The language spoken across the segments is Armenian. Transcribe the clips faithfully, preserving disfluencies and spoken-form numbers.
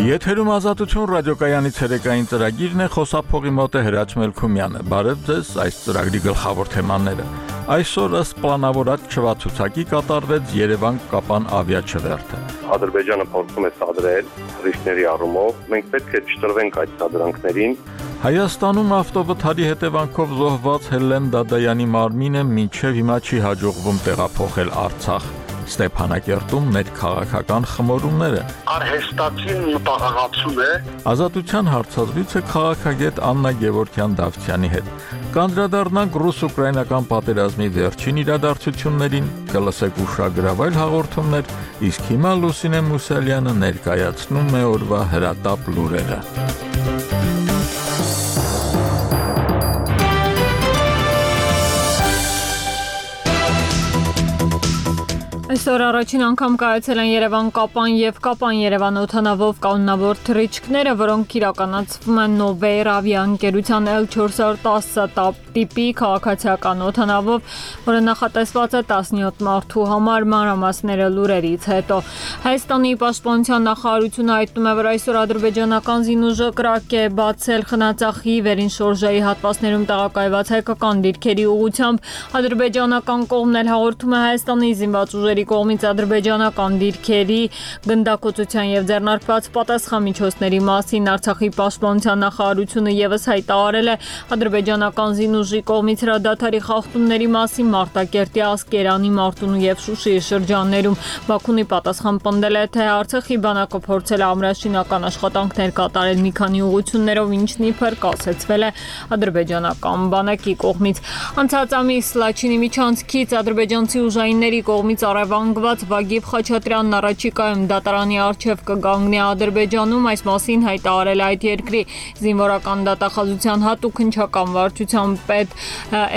Եթերում ազատություն ռադիոկայանի ցերեկային ծրագիրն է, խոսափողի մոտ է Հրաչ Մելքումյանը։ Բարև ձեզ, այս ծրագրի գլխավոր թեմաները։ Այսօր ըստ պլանավորած չվացուցակի կատարվեց Երևան-Կապան ավիաչվերթը։ Ադրբեջանը փորձում է սադրել ռիսկների առումով, մենք պետք է չտրվենք այդ սադրանքներին։ Հայաստանում ավտովթարի հետևանքով զոհված Հելլեն Դադայանի մարմինը մինչև հիմա չի հաջողվում տեղափոխել Արցախ։ Ստեփանակերտում ներքաղաքական խմորումները։ Արհեստացին մտահղացում է։ Ազատության հարցազրույցը քաղաքագետ Աննա Գևորգյան-Դավթյանի հետ։ Կանդրադառնանք ռուս-ուկրաինական պատերազմի վերջին իրադարձություններին, կլսեք ուշագրավայր հաղորդումներ, իսկ հիմա Լուսինե Մուսալյանը ներկայացնում է օրվա հրատապ լուրերը։ Այսօր առաջին անգամ կայացել են Երևան-Կապան եւ Կապան-Երևան օդանավով կանոնավոր թռիչքները, որոնք իրականացվում են Նովեյր ավիաընկերության L four ten տիպի քաղաքացիական օդանավով, որը նախատեսված է տասնյոթ մարդու համար։ Մանրամասները լուրերից հետո Հայաստանի պաշտպանության նախարարությունը հայտնում է, որ այսօր ադրբեջանական զինուժը կրակ է բացել Խնածախի վերին շորժայի հատվածներում տեղակայված հայկական դիրքերի ուղղությամբ։ Ադրբեջանական կողմն էլ հաղորդում է Հայաստանի զինված ուժերի կողմից ադրբեջանական դիրքերի գնդակոծության եւ ձեռնարկված պատասխանմիջոցների մասին։ Արցախի պաշտպանության նախարարությունը եւս հայտարարել է ադրբեջանական զինուժի կողմից հրադադարի խախտումների մասին Մարտակերտի, Ասկերանի, Մարտունու եւ Շուշիի շրջաններում։ Բաքունի պատասխան պնդել է, թե Արցախի բանակը փորձել է ամրաշինական աշխատանքներ կատարել մի քանի ուղղություններով, ինչն իբր կասեցվել է ադրբեջանական բանակի կողմից։ Անցած ամիս Լաչինի միջանցքից ադրբեջանցի ուժայինների կողմից Անգված Վագիվ Խաչատրյանն առաջիկայում դատարանի առջև կգանգնի Ադրբեջանում, այս մասին հայտարարել այդ երկրի զինվորական դատախազության հատուկ հնչական վարչության պետ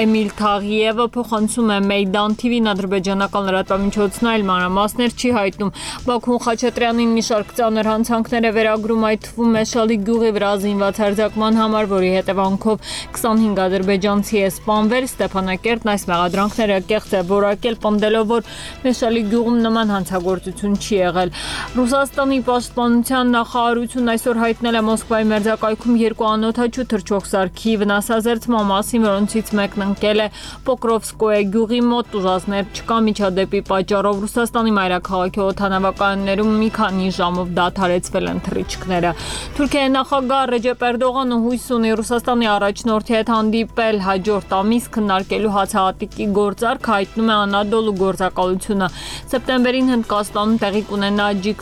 Էմիլ Թաղիևը փոխանցում է Մեյդան թիվին ադրբեջանական լրատվամիջոցն այլ մանրամասներ չի հայտնում։ Բաքուն Խաչատրյանին մի շարք ծանր հանցանքներ է վերագրում, այդ թվում Մեշալի գյուղի վրա զինված հարձակման համար, որի հետևանքով քսանհինգ ադրբեջանցի է սպանվել։ Ստեփանակերտն այս մեղադրանքները կեղծ է որակել, պնդելով, որ Մեշալի գյուղում նման հանցագործություն չի եղել։ Ռուսաստանի պաշտպանության նախարարությունն այսօր հայտնել է Մոսկվայի մերձակայքում երկու անօդաչու թռչող սարքի վնասազերծման մասին, որոնցից մեկն ընկել է Պոկրովսկոյե գյուղի մոտ, ուժասներ չկա միջադեպի պատճառով Ռուսաստանի մայրաքաղաքի օդանավակայաններում մի քանի ժամով դադարեցվել են թռիչքները։ Թուրքիայի նախագահ Ռեջեփ Էրդողանը հույս ունի Ռուսաստանի առաջնորդի հետ հանդիպել հաջորդ ամիս քննարկելու հացահատիկի գործարք, հայտնում է Անադոլու գործակալությունը։ Սեպտեմբերին Հնդկաստանում տեղի կունենա G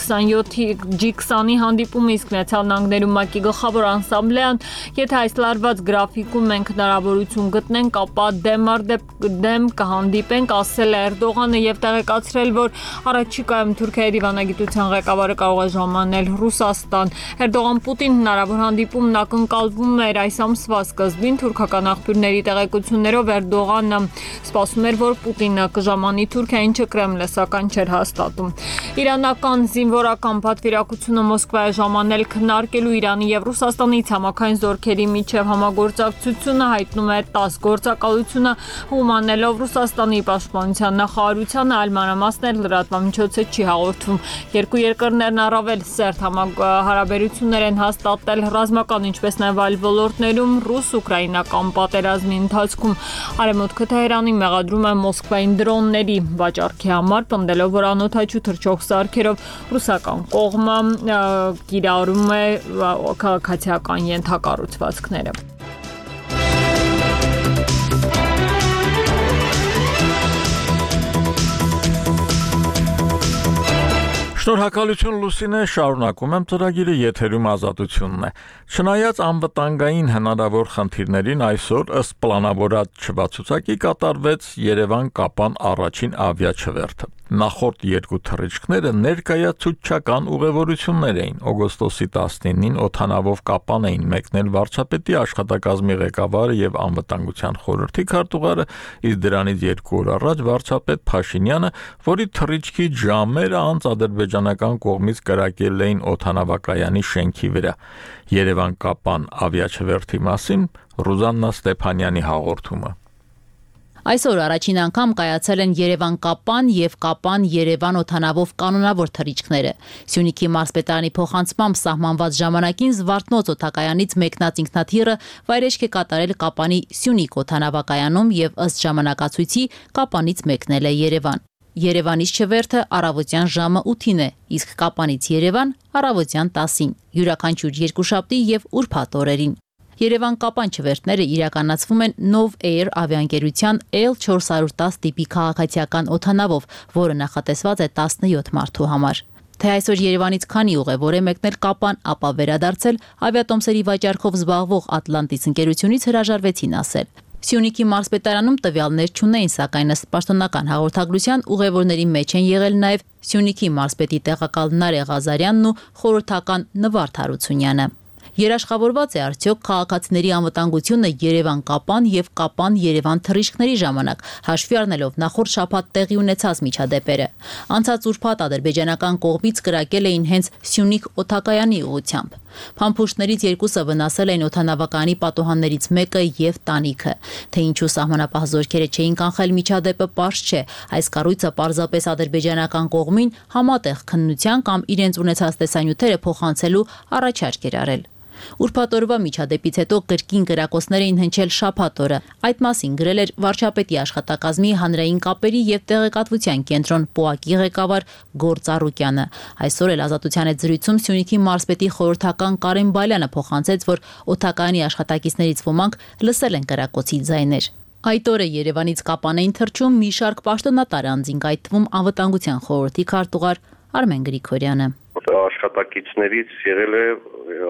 twenty հանդիպումը, իսկ Միացյալ Նահանգներում ՄԱԿ-ի գլխավոր անսամբլեան, եթե այս լարված գրաֆիկում մենք հնարավորություն գտնենք, ապա դեմ առ դեմ կհանդիպենք, ասել է Էրդողանը եւ տեղեկացրել, որ առաջիկայում Թուրքիայի դիվանագիտության ղեկավարը կարող է ժամանել Ռուսաստան։ Էրդողան-Պուտին հնարավոր հանդիպումն ակնկալվում էր այս ամսվա սկզբին։ Թուրքական աղբյուրների տեղեկություններով Էրդողանը սպասում էր, որ Պուտինը կժամանի Թուրքիա, ինչը Կրեմլը սակայն չէր հաստատում։ Իրանական զինվորական պատվիրակությունը Մոսկվայի ժամանել քննարկելու Իրանի եւ Ռուսաստանի ցամաքային զորքերի միջև համագործակցությունը, հայտնում է տաս գործակալությունը, հումանելով Ռուսաստանի պաշտպանության նախարարությանը, այլ մանրամասներ լրատվամիջոցը չի հաղորդում։ Երկու երկրներն առավել սերտ հարաբերություններ են հաստատել ռազմական, ինչպես նաեւ այլ ոլորտներում ռուս-ուկրաինական պատերազմի ընթացքում։ Արևմուտքը Թեհրանին մեղադրում է Մոսկվային դրոնների վաճառքի համար, պնդելով, որ անօդաչու թռչող սարքերով ռուսական կողմը կիրառում է քաղաքացիական ենթակառուցվածքները։ Շնորհակալություն Լուսինե, շարունակում եմ ծրագիրը, եթերում ազատությունն է։ Չնայած անվտանգային հնարավոր խնդիրներին, այսօր ըստ պլանավորած չվացուցակի կատարվեց Երևան-Կապան առաջին ավիաչվերթը։ Նախորդ երկու թռիչքները ներկայացուցչական ուղևորություններ էին։ Օգոստոսի տասնինին օդանավով Կապան էին մեկնել վարչապետի աշխատակազմի ղեկավարը եւ անվտանգության խորհրդի քարտուղարը, իսկ դրանից երկու օր առաջ վարչապետ Փաշինյանը, որի թռիչքի ժամերը անց ադրբեջանական կողմից կրակել էին օդանավակայանի շենքի վրա։ Երևան-Կապան ավիաչվերթի մասին Ռուզաննա Ստեփանյանի հաղորդումը։ Այսօր առաջին անգամ կայացել են Երևան-Կապան եւ Կապան-Երևան օդանավով կանոնավոր թռիչքները։ Սյունիքի մարզպետարանի փոխանցմամբ սահմանված ժամանակին Զվարթնոց օդակայանից մեկնած ինքնաթիռը վայրեջք է կատարել Կապանի Սյունիք օդանավակայանում եւ ըստ ժամանակացույցի Կապանից մեկնել է Երևան։ Երևանից Չվերթը առավոտյան ժամը ութին է, իսկ Կապանից Երևան առավոտյան տասին, յուրաքանչյուր երկուշաբթի եւ ուրբաթ օրերին։ Երևան-Կապան չվերթները իրականացվում են Nov Air ավիաընկերության L չորս տասը տիպի քաղաքացիական օդանավով, որը նախատեսված է տասնյոթ մարդու համար։ Թե այսօր Երևանից քանի ուղևոր է մեկնել Կապան, ապա վերադարձել ավիատոմսերի վաճառքով զբաղվող Atlantis ընկերությունից հրաժարվեցին ասել։ Սյունիքի մարզպետարանում տվյալներ չունեին, սակայն ըստ պաշտոնական հաղորդագրության ուղևորների մեջ են եղել նաև Սյունիքի մարզպետի տեղակալ Նարե Ղազարյանն ու խորհրդական Նվարդ Հարությունյանը։ Երաշխավորված է արդյոք քաղաքացիների անվտանգությունը Երևան-Կապան եւ Կապան-Երևան թռիչքների ժամանակ, հաշվի առնելով նախորդ շաբաթ տեղի ունեցած միջադեպերը։ Անցած ուրբաթ ադրբեջանական կողմից կրակել էին հենց Սյունիք օդակայանի ուղղությամբ։ Փամփուշտներից երկուսը վնասել էին օդանավակայանի պատուհաններից մեկը եւ տանիքը։ Թե ինչու սահմանապահ զորքերը չէին կանխել միջադեպը, պարզ չէ։ Այս կառույցը պարզապես ադրբեջանական կողմին համատեղ քննության կամ իրենց ունեցած տեսանյութերը փոխանցելու առաջարկ էր արել։ Ուրբաթ օրվա միջադեպից հետո կրկին կրակոցներ էին հնչել շաբաթ օրը։ Այդ մասին գրել էր վարչապետի աշխատակազմի հանրային կապերի եւ տեղեկատվության կենտրոն ՊՕԱԿ-ի ղեկավար Գործ Արուկյանը։ Այսօր էլ Ազատության հետ զրույցում Սյունիքի մարզպետի խորհրդական Կարեն Բալյանը փոխանցեց, որ օդակայանի աշխատակիցներից ոմանք լսել են կրակոցի ձայներ։ Այդ օրը Երևանից Կապան էին թռչում մի շարք պաշտոնատար անձինք, այդ թվում անվտանգության խորհրդի քարտուղար Արմեն Գրիգորյանը։ Աշխատակիցներից եղել է,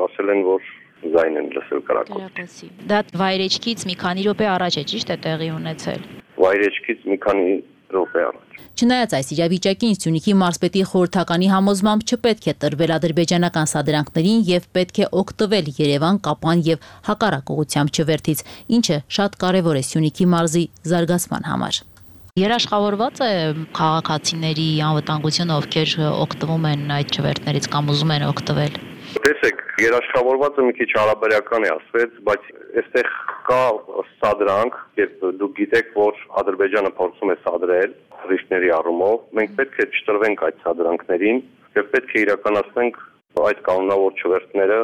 ասել են, որ ձայն են լսել կրակոցի։ Դա վայրեջքից մի քանի րոպե առաջ է, ճիշտ է տեղի ունեցել։ Վայրեջքից մի քանի րոպե առաջ։ Չնայած այս իրավիճակին Սյունիքի մարզպետի խորհրդականի համոզմամբ չպետք է տրվել ադրբեջանական սադրանքներին եւ պետք է օգտվել Երևան, Կապան եւ հակառակ ուղղությամբ չվերթից, ինչը շատ կարեւոր է Սյունիքի մարզի զարգացման համար։ Երաշխավորված է քաղաքացիների անվտանգությունը, ովքեր օգտվում են այդ չվերթներից կամ ուզում են օգտվել։ Տեսեք, երաշխավորվածը մի քիչ հարաբերական է ասվեց, բայց այստեղ կա սադրանք, երբ դուք գիտեք, որ Ադրբեջանը փորձում է սադրել թռիչքների առումով, մենք պետք է չտրվենք այդ սադրանքներին եւ պետք է իրականացնենք այդ կանոնավոր չվերթները,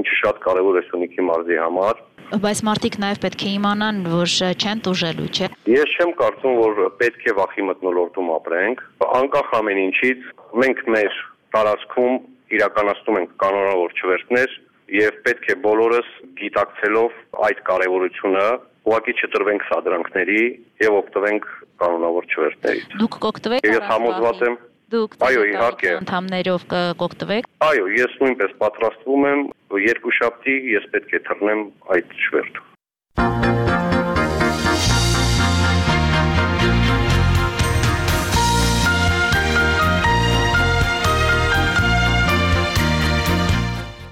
ինչը շատ կարեւոր է Սյունիքի մարզի համար։ Բայց մարդիկ նաև պետք է իմանան, որ չեն տուժելու, չէ։ Ես չեմ կարծում, որ պետք է վախի մթնոլորտում ապրենք։ Անկախ ամեն ինչից, մենք մեր տարածքում իրականացնում ենք կանոնավոր չվերթներ եւ պետք է բոլորս գիտակցելով այդ կարեւորությունը ուղղակի չտրվենք սադրանքների եւ օգտվենք կանոնավոր չվերթներից։ Դուք կօգտվեք։ Ես համոզված եմ։ Դուք այո, իհարկե անդամներով կօգտվեք։ Այո, ես նույնպես պատրաստվում եմ, երկուշաբթի ես պետք է թռնեմ այդ չվերթը։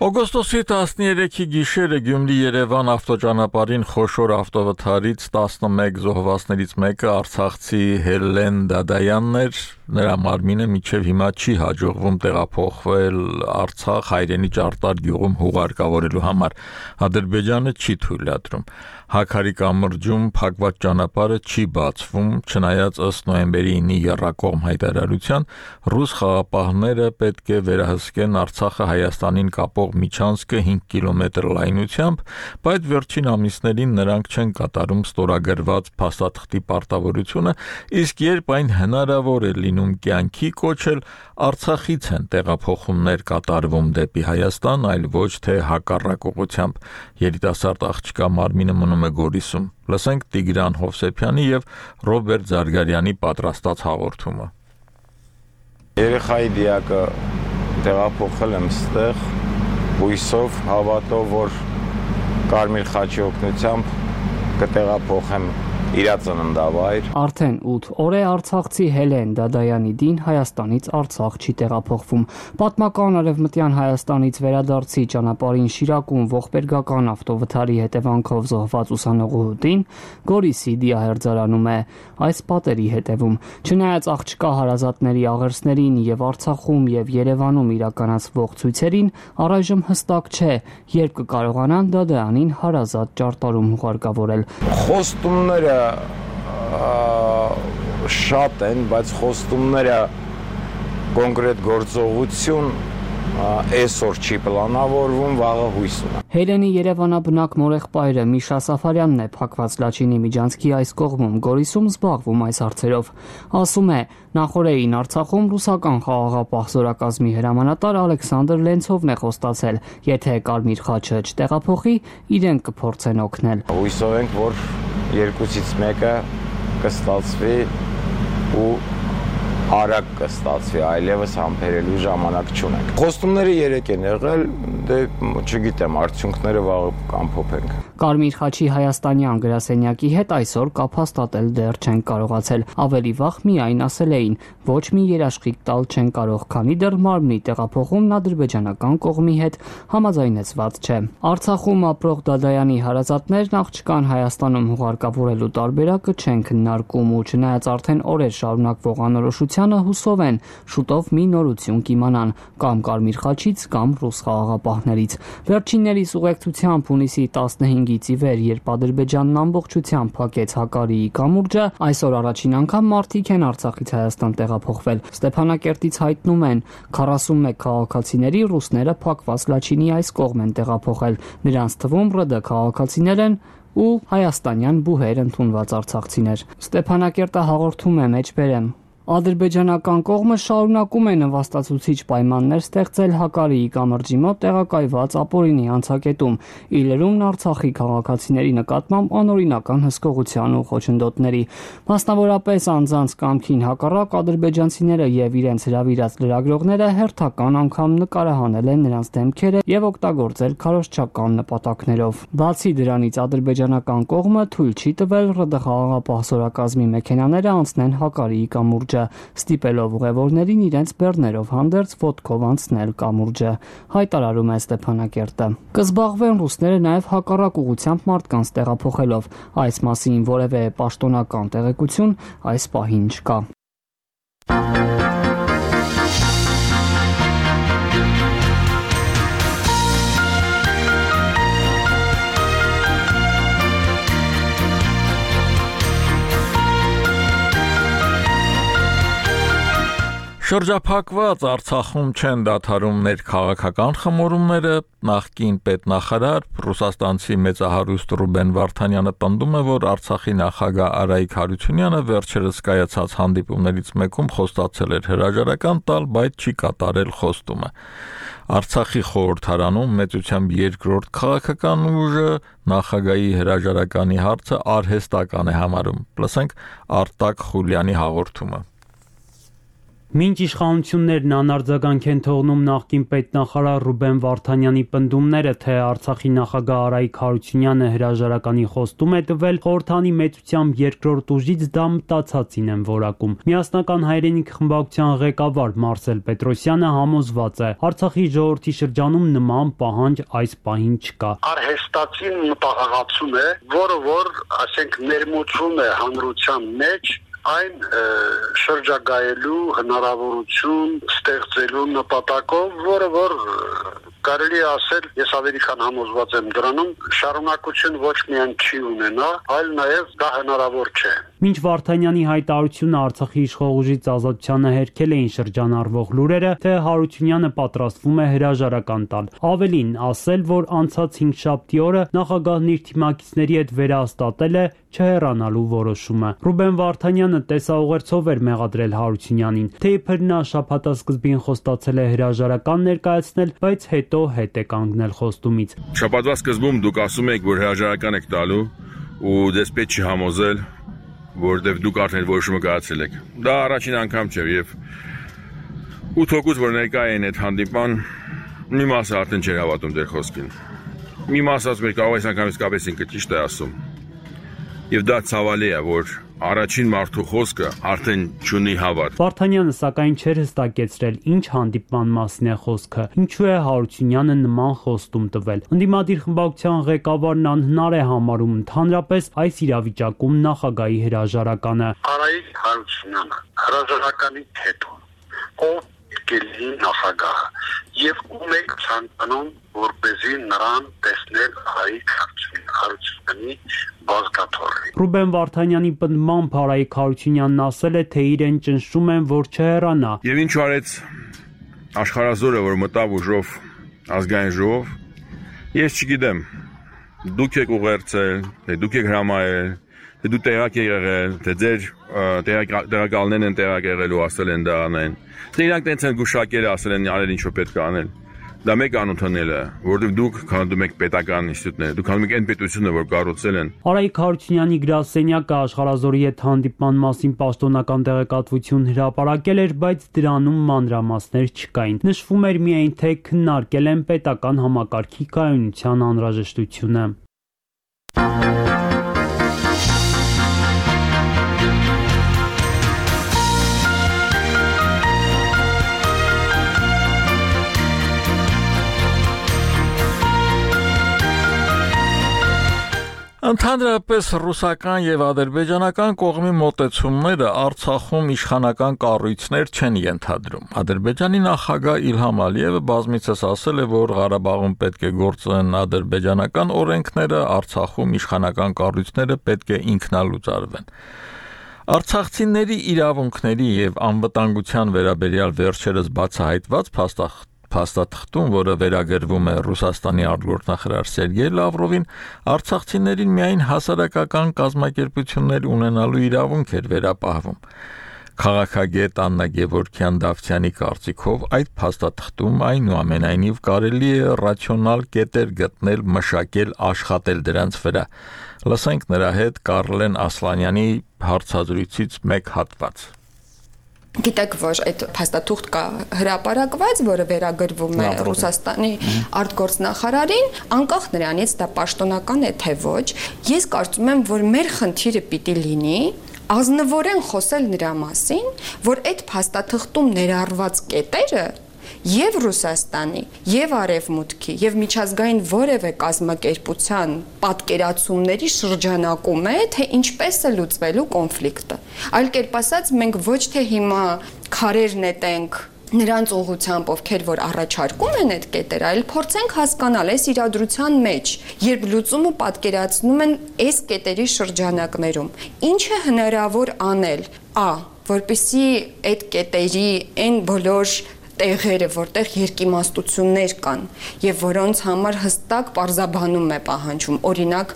Օգոստոսի տասներեքի գիշերը Գյումրի-Երևան ավտոճանապարհին խոշոր ավտովթարից տասնմեկ զոհվածներից մեկը արցախցի Հելլեն Դադայանն էր։ Նրա մարմինը մինչև հիմա չի հաջողվում տեղափոխվել Արցախ հայրենի Ճարտար գյուղում հուղարկավորելու համար։ Ադրբեջանը չի թույլատրում։ Հաքարի կամրջում փակված ճանապարհը չի բացվում, չնայած ըստ նոյեմբերի ինի եռակողմ հայտարարության ռուս խաղապահները պետք է վերահսկեն Արցախը Հայաստանին կապող միջանցքը հինգ կիլոմետր լայնությամբ, բայց վերջին ամիսներին նրանք չեն կատարում ստորագրված փաստաթղթի պարտավորությունը, իսկ երբ այն հնարավոր է լինում կյանքի կոչել, Արցախից են տեղափոխումներ կատարվում դեպի Հայաստան, այլ ոչ թե հակառակ ուղղությամբ։ Երիտասարդ աղջկա մարմինը մնում է Գորիսում։ Լսենք Տիգրան Հովսեփյանի եւ Ռոբերտ Զարգարյանի պատրաստած հաղորդումը։ Երեխայի դիակը տեղափոխել եմ ստեղ, հույսով, հավատով, որ Կարմիր խաչի օգնությամբ կտեղափոխեմ իր ծննդավայր։ Արդեն ութ օր է արցախցի Հելեն Դադայանի դին Հայաստանից Արցախ չի տեղափոխվում։ Պատմական արևմտյան Հայաստանից վերադարձի ճանապարհին Շիրակում ողբերգական ավտովթարի հետևանքով զոհված ուսանողու դին Գորիսի դիահերձարանում է այս պատերի հետևում։ Չնայած աղջկա հարազատների աղերսներին եւ Արցախում եւ Երևանում իրականացվող ցույցերին, առայժմ հստակ չէ, երբ կկարողանան Դադայանին հարազատ Ճարտարում հուղարկավորել։ Խոստումները շատ են, բայց խոստումները կոնկրետ գործողություն այսօր չի պլանավորվում, վաղը հույս ունեմ։ Հելենի Երևանաբնակ մորեղբայրը Միշա Սաֆարյանն է Փակված Լաչինի միջանցքի այս կողմում Գորիսում զբաղվում այս հարցերով։ Ասում է, նախորդին Արցախում ռուսական խաղաղապահ զորակազմի հրամանատար Ալեքսանդր Լենցովն է խոստացել, եթե Կարմիր խաչը չտեղափոխի, իրենք կփորձեն օգնել։ Հույսով ենք, որ երկուսից մեկը կստացվի ու արագ կստացվի, այլևս համբերելու ժամանակ չունենք։ Խոստումները երեք են եղել, դե չգիտեմ, արդյունքները վաղը կամփոփենք։ Կարմիր խաչի հայաստանյան գրասենյակի հետ այսօր կապ հաստատել դեռ չեն կարողացել։ Ավելի վաղ միայն ասել էին, ոչ մի երաշխիք տալ չեն կարող, քանի դեռ մարմնի տեղափոխումն ադրբեջանական կողմի հետ համաձայնեցված չէ։ Արցախում ապրող Դադայանի հարազատներն աղջկան Հայաստանում հուղարկավորելու տարբերակը չեն քննարկում ու չնայած արդեն օրեր շարունակվող անորոշությանը հուսով են շուտով մի նորություն կիմանան կամ Կարմիր խաչից կամ ռուս խաղաղապահներից։ Վերջիններիս ուղեկցությամբ հունիսի տասնհինգից ի վեր, երբ Ադրբեջանն ամբողջությամբ փակեց Հակարիի կամուրջը, այսօր առաջին անգամ մարդիկ են Արցախից Հայաստան տեղափոխվել։ Ստեփանակերտից հայտնում են, քառասունմեկ քաղաքացիների ռուսները Փակված Լաչինի այս կողմ են տեղափոխել։ Նրանց թվում ՌԴ քաղաքացիներ են ու հայաստանյան բուհեր ընդունված արցախցիներ։ Ստեփանակերտը հաղորդում է մեջբերեմ։ Ադրբեջանական կողմը շարունակում է նվաստացուցիչ պայմաններ ստեղծել Հակարիի կամրջի մոտ տեղակայված ապօրինի անցակետում, իլերումն Արցախի քաղաքացիների նկատմամբ անօրինական հսկողության ու խոչընդոտների։ Մասնավորապես անձանց կամքին հակառակ ադրբեջանցիները եւ իրենց հրավիրած լրագրողները հերթական անգամ նկարահանել են նրանց դեմքերը եւ օգտագործել քարոզչական նպատակներով։ Բացի դրանից ադրբեջանական կողմը թույլ չի տվել ՌԴ խաղաղապահ զորակազմի մեքենաները անցնեն Հակարիի կամուրջ, ստիպելով ուղևորներին իրենց բեռներով հանդերձ ոտքով անցնել կամուրջը, հայտարարում է Ստեփանակերտը։ Կզբաղվեն ռուսները նաև հակառակ ուղղությամբ մարդկանց տեղափոխելով։ Այս մասին որևէ պաշտոնական տեղեկություն այս պահին չկա։ Շրջափակված Արցախում չեն դադարում ներքաղաքական խմորումները, նախկին պետնախարար ռուսաստանցի մեծահարուստ Ռուբեն Վարդանյանը պնդում է, որ Արցախի նախագահ Արայիկ Հարությունյանը վերջերս կայացած հանդիպումներից մեկում խոստացել էր հրաժարական տալ, բայց չի կատարել խոստումը։ Արցախի խորհրդարանում մեծությամբ երկրորդ քաղաքական ուժը նախագահի հրաժարականի հարցը արհեստական է համարում։ Լսենք Արտակ Խուլյանի հաղորդումը։ Մինչ իշխանություններն անարձագանք են թողնում նախկին պետնախարար Ռուբեն Վարդանյանի պնդումները, թե Արցախի նախագահ Արայիկ Հարությունյանը հրաժարականի խոստում է տվել, խորհրդանի մեծությամբ երկրորդ ուժից դա մտածածին են որակում։ Միասնական հայրենիք խմբակցության ղեկավար Մարսել Պետրոսյանը համոզված է, Արցախի ժողովրդի շրջանում նման պահանջ այս պահին չկա։ Արհեստացին մտահղացում է, որը որ, ասենք, ներմուծվում է հանրության մեջ այն շրջագայելու հնարավորություն ստեղծելու նպատակով, որը որ կարելի է ասել, ես ավելի քան համոզված եմ դրանում, շարունակություն ոչ միայն չի ունենա, այլ նաև դա հնարավոր չէ։ Մինչ Վարդանյանի հայտարարությունը Արցախի իշխող ուժից ազատությանը հերքել էին շրջանառվող լուրերը, թե Հարությունյանը պատրաստվում է հրաժարական տալ։ Ավելին, ասել, որ անցած հինգշաբթի օրը նախագահն իր թիմակիցների հետ վերահաստատել է չհեռանալու որոշումը։ Ռուբեն Վարդանյանը տեսաուղերձով էր մեղադրել Հարությունյանին, թե իբր նա շաբաթասկզբին խոստացել է հրաժարական ներկայացնել, բայց հետո հետ է կանգնել խոստումից։ Շաբաթվա սկզբում դուք ասում եք, որ հրաժարական եք տալու ու դեսպետ չի համոզել, որտեղ դուք արդեն որոշումը կայացրել եք։ Դա առաջին անգամ չէ եւ ութ հոգուց որ ներկա են այդ հանդիպան, մի մասը արդեն չէր հավատում դեր խոսքին։ Մի մասը ասում էր կարող այս անգամ իսկապես ինքը ճիշտ է ասում։ Եվ դա ցավալի է, որ առաջին մարդու խոսքը արդեն չունի հավատ։ Վարդանյանը սակայն չէր հստակեցրել ինչ հանդիպման մասին է խոսքը, ինչու է Հարությունյանը նման խոստում տվել։ Ընդդիմադիր խմբակցության ղեկավարն անհնար է համարում ընդհանրապես այս իրավիճակում նախագահի հրաժարականը։ Արայիկ Հարությունյանը հրաժարականից հետո ով կլինի նախագահը եւ ում եք ցանկանում որպեսզի նրան տեսնել Արայիկ Հարությունյանը։ Հարությունյանի բազգաթոռի։ Ռուբեն Վարդանյանի պնդմամբ Արայիկ Հարությունյանն ասել է, թե իրեն ճնշում են, որ չհեռանա։ Եվ ինչ արեց աշխարհազորը, որ մտավ ուժով ազգային ժողով, ես չգիտեմ, դուք եք ուղերձել, թե դուք եք հրամայել, թե դու տեղակ եք եղել, թե ձեր տեղակալներն են տեղակ եղել ու ասել են դա անեն, թե իրանք տենց են գուշակել, ասել են արել ինչ որ պետք է անել։ Դա մեկ անընդունել է, որովհետև դուք քանդում եք պետական ինստիտուտներ, դուք քանդում եք այն պետությունը, որ կառուցել են։ Արայիկ Հարությունյանի գրասենյակը աշխարհազորի հետ հանդիպման մասին պաշտոնական տեղեկատվություն հրապարակել էր, բայց դրանում մանրամասներ չկային։ Նշվում էր միայն, թե քննարկել են պետական համակարգի կայունության անհրաժեշտությունը։ Ընդհանրապես ռուսական եւ ադրբեջանական կողմի մոտեցումները Արցախում իշխանական կառույցներ չեն ենթադրում։ Ադրբեջանի նախագահ Իլհամ Ալիևը բազմիցս ասել է, որ Ղարաբաղում պետք է գործեն ադրբեջանական օրենքները, Արցախում իշխանական կառույցները պետք է ինքնալուծարվեն։ Արցախցիների իրավունքների եւ անվտանգության վերաբերյալ վերջերս բացահայտված փաստաթղթ Փաստաթղթում, որը վերագրվում է Ռուսաստանի արտգործնախարար Սերգեյ Լավրովին, արցախցիներին միայն հասարակական կազմակերպություններ ունենալու իրավունք էր վերապահվում։ Քաղաքագետ Աննա Գևորգյան-Դավթյանի կարծիքով այդ փաստաթղթում այնուամենայնիվ կարելի է ռացիոնալ կետեր գտնել, մշակել, աշխատել դրանց վրա։ Լսենք նրա հետ Կարլեն Ասլանյանի հարցազրույցից մեկ հատված։ Գիտեք, որ այդ փաստաթուղթ կա հրապարակված, որը վերագրվում է Ռուսաստանի արտգործնախարարին, անկախ նրանից դա պաշտոնական է թե ոչ, ես կարծում եմ, որ մեր խնդիրը պիտի լինի ազնվորեն խոսել նրա մասին, որ այդ փաստաթղթում ներառված կետերը Եվ Ռուսաստանի, եւ Արևմուտքի, եւ միջազգային որևէ կազմակերպության պատկերացումների շրջանակում է, թե ինչպես է լուծվելու կոնֆլիկտը։ Այլ կերպ ասած, մենք ոչ թե հիմա քարեր նետենք նրանց ուղղությամբ, ովքեր որ առաջարկում են այդ կետերը, այլ փորձենք հասկանալ այս իրադրության մեջ, երբ լուծումը պատկերացնում են այս կետերի շրջանակներում, ինչ է հնարավոր անել, ա, որպեսզի այդ կետերի այն բոլոր տեղերը, որտեղ երկիմաստություններ կան եւ որոնց համար հստակ պարզաբանում է պահանջում, օրինակ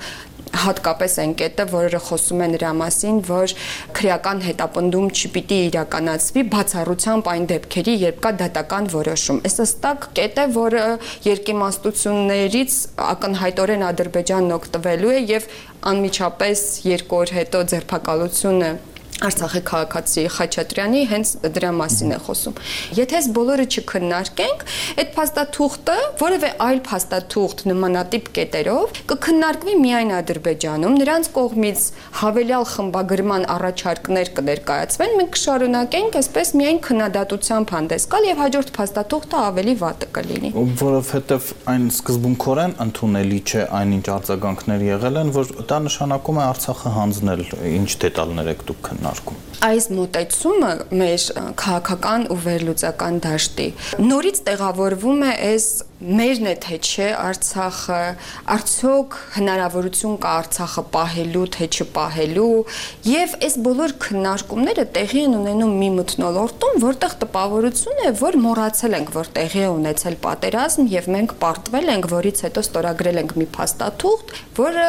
հատկապես այն կետը, որը խոսում է նրա մասին, որ քրեական հետապնդում չպիտի իրականացվի բացառությամբ այն դեպքերի, երբ կա դատական որոշում։ Այս հստակ կետ է, որը երկիմաստություններից ակնհայտորեն Ադրբեջանն օգտվելու է եւ անմիջապես երկու օր հետո ձերբակալությունը Արցախի քաղաքացի Խաչատրյանի հենց դրա մասին է խոսում։ Եթե այս բոլորը չքննարկենք, այդ փաստաթուղթը, որևէ այլ փաստաթուղթ նմանատիպ կետերով կքննարկվի միայն Ադրբեջանում, նրանց կողմից հավելյալ խմբագրման առաջարկներ կներկայացվեն, մենք կշարունակենք այսպես միայն քննադատությամբ հանդես գալ եւ հաջորդ փաստաթուղթը ավելի վատը կլինի։ Որովհետեւ այն սկզբունքորեն ընդունելի չէ այնինչ արձագանքներ եղել են, որ դա նշանակում է Արցախը հանձնել, ինչ դետալներ եք դուք քննարկում։ Այս մոտեցումը մեր քաղաքական ու վերլուծական դաշտի նորից տեղավորվում է այս մերն է թե չէ Արցախը, արդյոք հնարավորություն կա Արցախը պահելու թե չպահելու եւ այս բոլոր քննարկումները տեղի են ունենում մի մթնոլորտում, որտեղ տպավորություն է, որ մոռացել ենք, որ տեղի է ունեցել պատերազմ եւ մենք պարտվել ենք, որից հետո ստորագրել ենք մի փաստաթուղթ, որը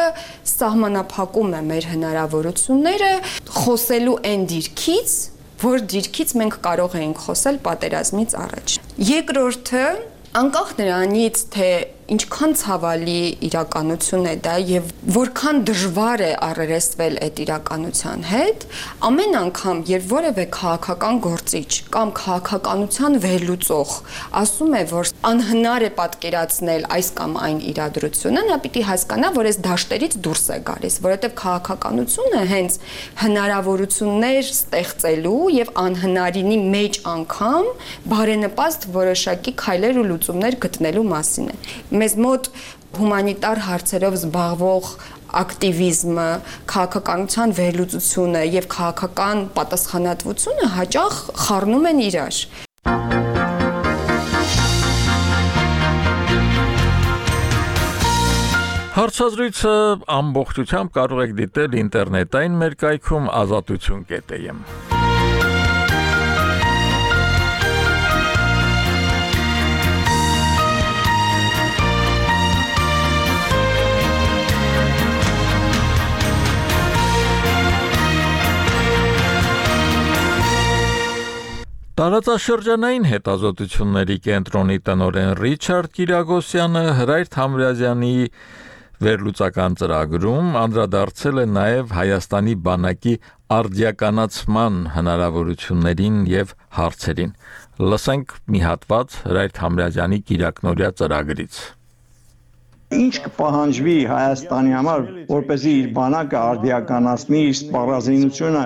սահմանափակում է մեր հնարավորությունները խոսելու այն դիրքից, որ դիրքից մենք կարող էինք խոսել պատերազմից առաջ։ Երկրորդը, անկախ նրանից, թե ինչքան ցավալի իրականություն է դա եւ որքան դժվար է առերեսվել այդ իրականության հետ, ամեն անգամ, երբ որևէ քաղաքական գործիչ կամ քաղաքականության վերլուծող ասում է, որ անհնար է պատկերացնել այս կամ այն իրադրությունը, նա պիտի հասկանա, որ այս դաշտերից դուրս է գալիս, որովհետեւ քաղաքականությունը հենց հնարավորություններ ստեղծելու եւ անհնարինի մեջ անգամ բարենպաստ որոշակի քայլեր ու լուծումներ գտնելու մասին է։ Մեզ մոտ հումանիտար հարցերով զբաղվող ակտիվիզմը, քաղաքականության վերլուծությունը եւ քաղաքական պատասխանատվությունը հաճախ խառնում են իրար։ Հարցազրույցը ամբողջությամբ կարող եք դիտել ինտերնետային մեր կայքում ազատություն կետ է եմ։ Տարածաշրջանային հետազոտությունների կենտրոնի տնօրեն Ռիչարդ Կիրագոսյանը Հրայր Թամրազյանի վերլուծական ծրագրում անդրադարձել է նաև Հայաստանի բանակի արդիականացման հնարավորություններին եւ հարցերին։ Լսենք մի հատված Հրայր Թամրազյանի Կիրակնորյա ծրագրից։ Ինչ կպահանջվի Հայաստանի համար, որպեսզի իր բանակը արդիականացնի իր սպառազինությունը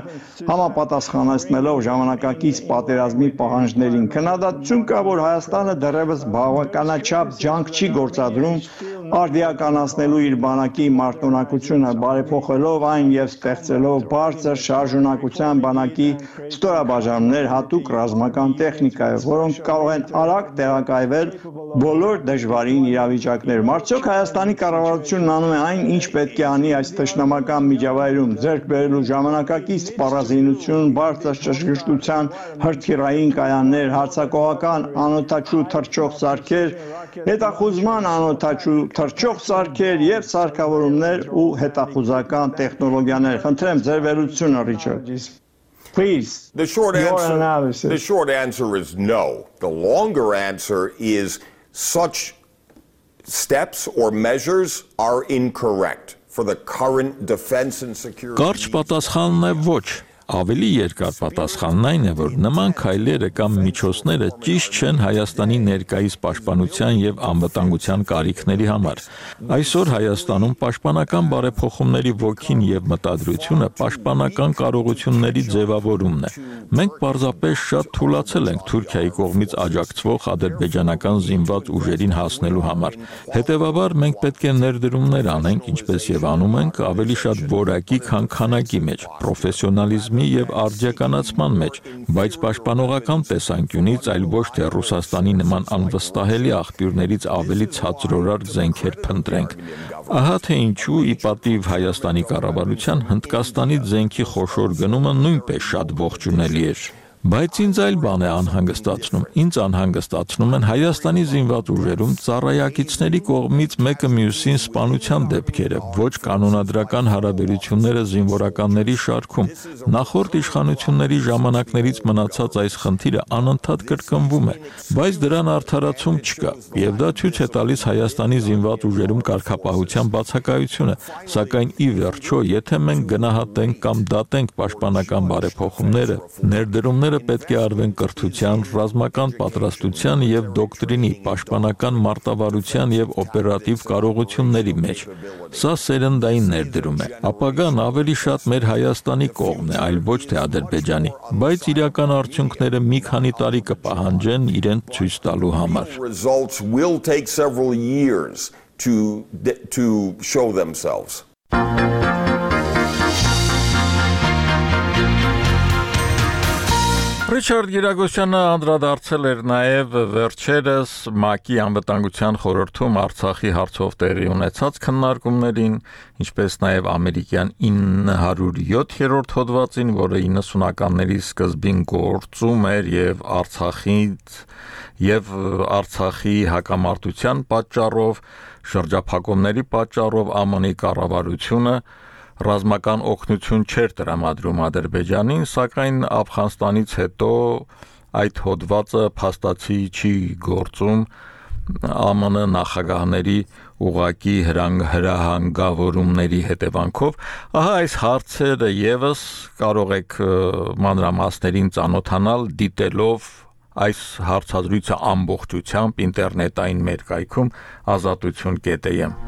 համապատասխանեցնելով ժամանակակից պատերազմի պահանջներին։ Քննադատություն կա, որ Հայաստանը դեռևս բավականաչափ ջանք չի գործադրում արդիականացնելու իր բանակի մարտունակությունը, բարեփոխելով այն եւ ստեղծելով բարձր շարժունակության բանակի ստորաբաժանումներ հատուկ ռազմական տեխնիկայով, որոնք կարող են արագ տեղակայվել բոլոր դժվարին իրավիճակներում։ Արդյոք Հայաստանի կառավարությունն անում է այն, ինչ պետք է անի այս թշնամական միջավայրում, ձեռք բերելու ժամանակակից սպառազինություն, բարձր ճշգրտության հրթիռային կայաններ, հարձակողական անօդաչու թռչող սարքեր, հետախուզման անօդաչու թռչող սարքեր եւ սարքավորումներ ու հետախուզական տեխնոլոգիաներ։ Խնդրեմ ձեր վերլուծությունը, Ռիչարդ։ Please. The short your answer analysis. The short answer is no. The longer answer is such steps or measures are incorrect for the current defense and security. Կարճ պատասխանն է ոչ։ Ավելի երկար պատասխանն այն է, որ նման քայլերը կամ միջոցները ճիշտ չեն Հայաստանի ներկայիս պաշտպանության եւ անվտանգության կարիքների համար։ Այսօր Հայաստանում պաշտպանական բարեփոխումների ոգին եւ մտադրությունը պաշտպանական կարողությունների ձևավորումն է։ Մենք պարզապես շատ թուլացել ենք Թուրքիայի կողմից աջակցվող ադրբեջանական զինված ուժերին հասնելու համար։ Հետևաբար մենք պետք է ներդրումներ անենք, ինչպես եւ անում ենք, ավելի շատ որակի, քան քանակի մեջ, պրոֆեսիոնալիզմ եւ արդիականացման մեջ, բայց պաշտպանողական տեսանկյունից, այլ ոչ թե Ռուսաստանի նման անվստահելի աղբյուրներից ավելի ցածրորար զենքեր փնտրենք։ Ահա թե ինչու ի պատիվ Հայաստանի կառավարության Հնդկաստանից զենքի խոշոր գնումը նույնպես շատ ողջունելի էր։ Բայց ինձ այլ բան է անհանգստացնում։ Ինձ անհանգստացնում են Հայաստանի զինված ուժերում ծառայակիցների կողմից մեկը մյուսին սպանության դեպքերը, ոչ կանոնադրական հարաբերությունները զինվորականների շարքում։ Նախորդ իշխանությունների ժամանակներից մնացած այս խնդիրը անընդհատ կրկնվում է, բայց դրան արդարացում չկա, եւ դա ցույց է տալիս Հայաստանի զինված ուժերում կարգապահության բացակայությունը, սակայն ի վերջո, եթե մենք գնահատենք կամ դատենք պաշտպանական բարեփոխումները, ներդրումները պետք է արվեն կրթության, ռազմական պատրաստության եւ դոկտրինի, պաշտպանական մարտավարության եւ օպերատիվ կարողությունների մեջ։ Սա սերնդային ներդրում է։ Ապագան ավելի շատ մեր Հայաստանի կողմն է, այլ ոչ թե Ադրբեջանի, բայց իրական արդյունքները մի քանի տարի կպահանջեն իրենց ցույց տալու համար։ Results will take several years to to show themselves. Ռիչարդ Գիրագոսյանը անդրադարձել էր նաև վերջերս ՄԱԿ-ի անվտանգության խորհրդում Արցախի հարցով տեղի ունեցած քննարկումներին, ինչպես նաև ամերիկյան ինը հարյուր յոթերորդ հոդվածին, որը իննսունականների սկզբին գործում էր եւ Արցախից եւ Արցախի հակամարտության պատճառով, շրջափակումների պատճառով ԱՄՆ-ի կառավարությունը ռազմական օգնություն չէր տրամադրում Ադրբեջանին, սակայն Աֆղանստանից հետո այդ հոդվածը փաստացի չի գործում ԱՄՆ նախագահների ուղակի հրահանգավորումների հետևանքով։ Ահա այս հարցերը եւս կարող եք մանրամասներին ծանոթանալ դիտելով այս հարցազրույցը ամբողջությամբ ինտերնետային մեր կայքում ազատություն կետ է եմ։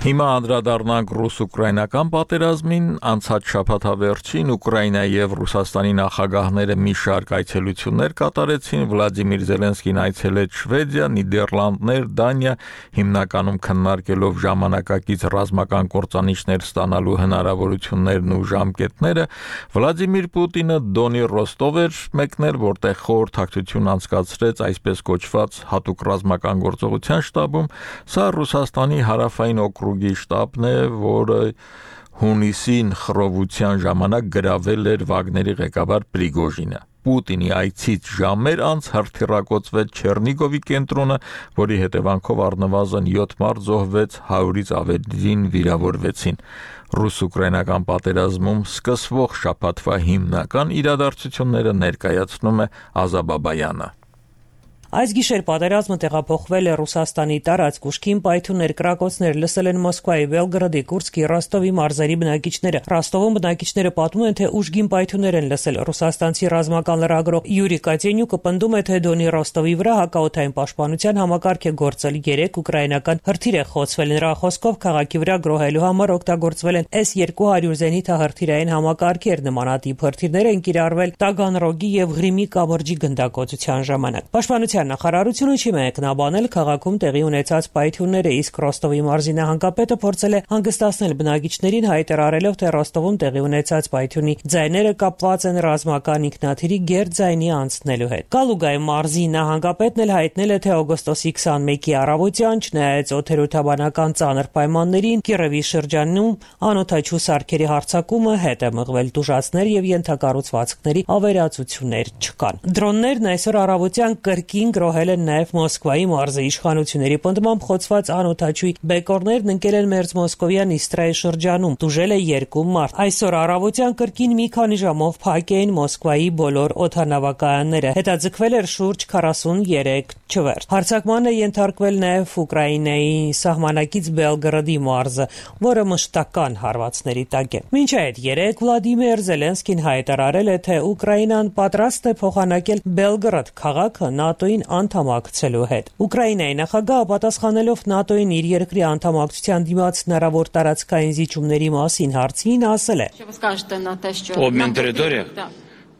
Հիմա անդրադառնանք ռուս-ուկրաինական պատերազմին, անցած շաբաթավերջին Ուկրաինայի եւ Ռուսաստանի նախագահները մի շարք այցելություններ կատարեցին, Վլադիմիր Զելենսկին այցելեց Շվեդիա, Նիդերլանդներ, Դանիա, հիմնականում քննարկելով ժամանակակից ռազմական կործանիչներ ստանալու հնարավորություններն ու ժամկետները, Վլադիմիր Պուտինը Դոնի Ռոստով էր մեկնել, որտեղ խորհրդակցություն անցկացրեց այսպես կոչված հատուկ ռազմական գործողության շտաբում, սա Ռուսաստանի հարավային օկրուգի շտաբն է, որը հունիսին խռովության ժամանակ գրավել էր Վագների ղեկավար Պրիգոժինը։ Պուտինի այցից ժամեր անց հրթիռակոծվեց Չեռնիգովի կենտրոնը, որի հետևանքով առնվազն յոթ մարդ զոհվեց, հարյուրից ավելին վիրավորվեցին։ Ռուս-ուկրաինական պատերազմում սկսվող շաբաթվա հիմնական իրադարձությունները ներկայացնում է Ազաբաբայանը։ Այս գիշեր պատերազմը տեղափոխվել է Ռուսաստանի տարածք, ուշքին պայթյուններ, կրակոցներ լսել են Մոսկվայի, Բելգրադի, Կուրսկի, Ռոստովի մարզերի բնակիչները։ Ռոստովում բնակիչները պատմում են, թե ուժգին պայթյուններ են լսել։ Ռուսաստանցի ռազմական լրագրող Յուրի Կատենյուկը պնդում է, թե Դոնի Ռոստովի վրա հակաօդային պաշտպանության համակարգ է գործել երեք ուկրաինական հրթիռ է խոցվել։ Նրա խոսքով քաղաքի վրա գրոհելու համար օգտագործվել են էս երկու հարյուր զենիթահրթիռային համակարգեր, նմանատիպ հրթիռներ են կիրառվել Տագանրոգի եւ Ղրիմի կամրջի գնդակոծության ժամանակ։ Պաշտպանության նախարարությունը չի մեկնաբանել քաղաքում տեղի ունեցած պայթյունները, իսկ Ռոստովի մարզի նահանգապետը փորձել է հանգստացնել բնակիչներին, հայտարարելով, թե Ռոստովում տեղի ունեցած պայթյունի ձայները կապված են ռազմական ինքնաթիռի գերձայնի անցնելու հետ։ Կալուգայի մարզի նահանգապետն էլ հայտնել է, թե օգոստոսի քսանմեկի առավոտյան, չնայած օդերոթաբանական ծանր պայմաններին, Կիրովի շրջանում անօդաչու սարքերի հարձակումը հետ է մղվել, տուժածներ եւ ենթակառուցվածքների ավերածություններ չկան։ Դրոններն այսօր առավոտյան կրկին գրոհել են նաև Մոսկվայի մարզի իշխանությունների պնդմամբ խոցված անօդաչուի բեկորներն ընկել են Մերձ Մոսկովյան Իստրայի շրջանում, տուժել է երկու մարդ։ Այսօր առավոտյան կրկին մի քանի ժամով փակ էին Մոսկվայի բոլոր օդանավակայանները, հետաձգվել էր շուրջ քառասուններեք չվերթ։ Հարձակման է ենթարկվել նաև Ուկրաինայի սահմանակից Բելգրադի մարզը, որը մշտական հարվածների տակ է։ Մինչ այդ երեկ Վլադիմիր Զելենսկին հայտարարել է, թե Ուկրաինան պատրաստ է փոխանակել Բելգրադ քաղաքը ՆԱՏՕ-ին անդամակցելու հետ։ Ուկրաինայի նախագահը պատասխանելով ՆԱՏՕ-ին իր երկրի անդամակցության դիմաց հնարավոր տարածքային զիջումների մասին հարցին ասել է. Обмін територіях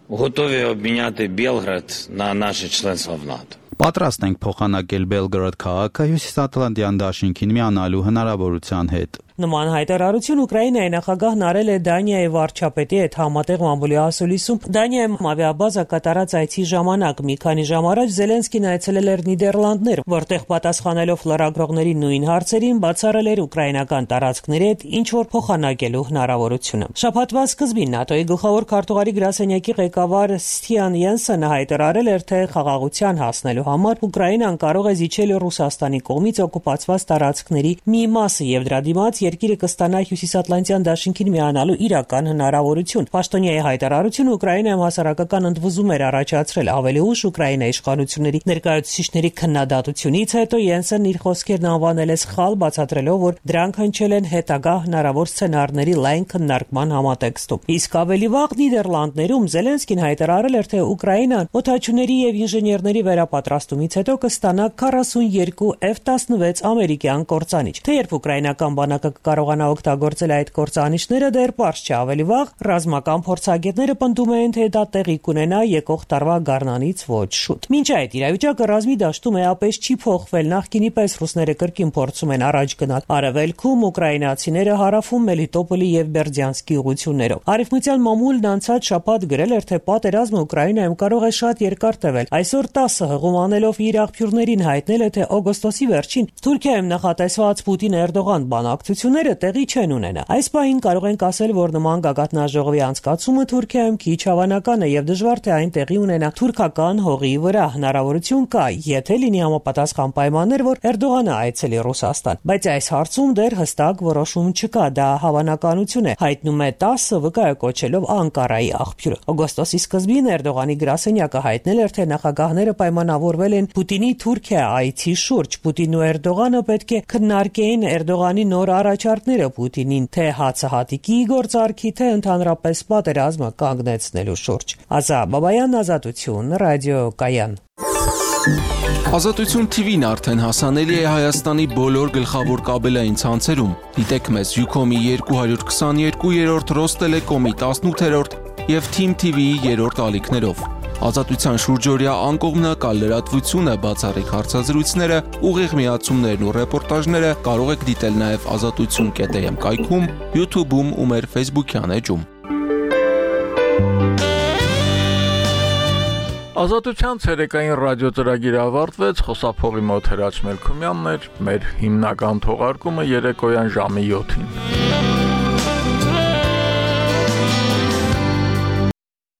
готові обміняти Белград на наше членство в НАТО. Պատրաստ ենք փոխանակել Բելգրադ քաղաքը Հյուսիսատլանտյան դաշինքին միանալու հնարավորության հետ։ Նման հայտարարություն Ուկրաինայի նախագահն արել է Դանիայի վարչապետի հետ համատեղ մամուլի ասուլիսում Դանիայում ավիաբազա կատարած այցի ժամանակ։ Մի քանի ժամ առաջ Զելենսկին այցելել էր Նիդերլանդներ, որտեղ պատասխանելով լրագրողների նույն հարցերին բացառել էր ուկրաինական տարածքների հետ ինչ որ փոխանակելու հնարավորությունը։ Շաբաթվա սկզբին ՆԱՏՕ-ի գլխավոր քարտուղարի գրասենյակի ղեկավար Ստիան Յենսենը հայտարարել էր, թե խաղաղության հասնելու համար Ուկրաինան կարող է զիջել Ռուսաստանի կողմից օկուպացված տարածքների մի մասը եւ դրա դիմաց երկիրը կստանա Հյուսիսատլանտյան դաշինքին միանալու իրական հնարավորություն։ Պաշտոնյայի հայտարարությունը Ուկրաինայում հասարակական ընդվզում էր առաջացրել։ Ավելի ուշ Ուկրաինայի իշխանությունների ներկայացուցիչների քննադատությունից հետո Յենսենն իր խոսքերն անվանել է սխալ, բացատրելով, որ դրանք հնչել են հետագա հնարավոր սցենարների լայն քննարկման համատեքստում։ Իսկ ավելի վաղ Նիդերլանդներում Զելենսկին հայտարարել էր, թե Ուկրաինան օդաչուների եւ ինժեներների վերապատրաստումից հետո կստանա քառասունյոթ F տասնվեց ամերիկյան կործանիչ։ Թեև ուկրաինական բանակը կարողանա օգտագործել այդ կործանիչները, դեռ պարզ չէ։ Ավելի վաղ ռազմական փորձագետները պնդում են, թե դա տեղի կունենա եկող տարվա գարնանից ոչ շուտ։ Մինչ այդ իրավիճակը ռազմի դաշտում էապես չի փոխվել։ Նախկինի պես ռուսները կրկին փորձում են առաջ գնալ արևելքում, ուկրաինացիները հարավում Մելիտոպոլի եւ Բերդյանսկի ուղություններով։ Արևմտյան մամուլն անցած շաբաթ գրել էր, թե պատերազմը Ուկրաինայում կարող է շատ երկար տևել։ Այսօր տասը հղում անելով իր աղբյուրներին հայտնել է, թե օգոստոսի վերջին Թուրքիայում նախատեսված Պուտին-Էրդողան բանակցությունները տեղի չեն ունենա։ Այս պահին կարող ենք ասել, որ նման գագաթնաժողովի անցկացումը Թուրքիայում քիչ հավանական է եւ դժվար թե այն տեղի ունենա թուրքական հողի վրա։ Հնարավորություն կա, եթե լինի համապատասխան պայմաններ, որ Էրդողանը այցելի Ռուսաստան։ Բայց այս հարցում դեռ հստակ որոշում չկա, դա հավանականություն է, հայտնում է տասը վկայակոչելով Անկարայի աղբյուրը։ Օգոստոսի սկզբին Էրդողանի գրասենյակը հայտնել էր, թե նախագահները պայմանավորվել են Պուտինի Թուրքիա այցի շուրջ։ Պուտինն ու Էրդողանը պետք է քննարկեին Էրդողանի նոր առաջարկները Պուտինին, թե հացահատիկի գործարքի, թե ընդհանրապես պատերազմը կանգնեցնելու շուրջ։ Ազա Բաբայան, Ազատություն, ռադիո Կայան։ Ազատություն թի վին արդեն հասանելի է Հայաստանի բոլոր գլխավոր կաբելային ցանցերում։ Դիտեք մեզ Ucom-ի երկու հարյուր քսաներկուերորդ, Ռոստելեկոմի տասնութերորդ եւ Թիմ թի վիի երրորդ ալիքներով։ Ազատության շուրջօրյա անկողմնակալ լրատվությունը, բացառիկ հարցազրույցները, ուղիղ միացումներն ու ռեպորտաժները կարող եք դիտել նաև ազատություն կետ էմ կայքում, YouTube-ում ու մեր Facebook-յան էջում։ Ազատության ցերեկային ռադիոծրագիրը ավարտվեց, խոսափողի մոտ Հրաչ Մելքումյանն էր, մեր հիմնական թողարկումը երեկոյան ժամի յոթին։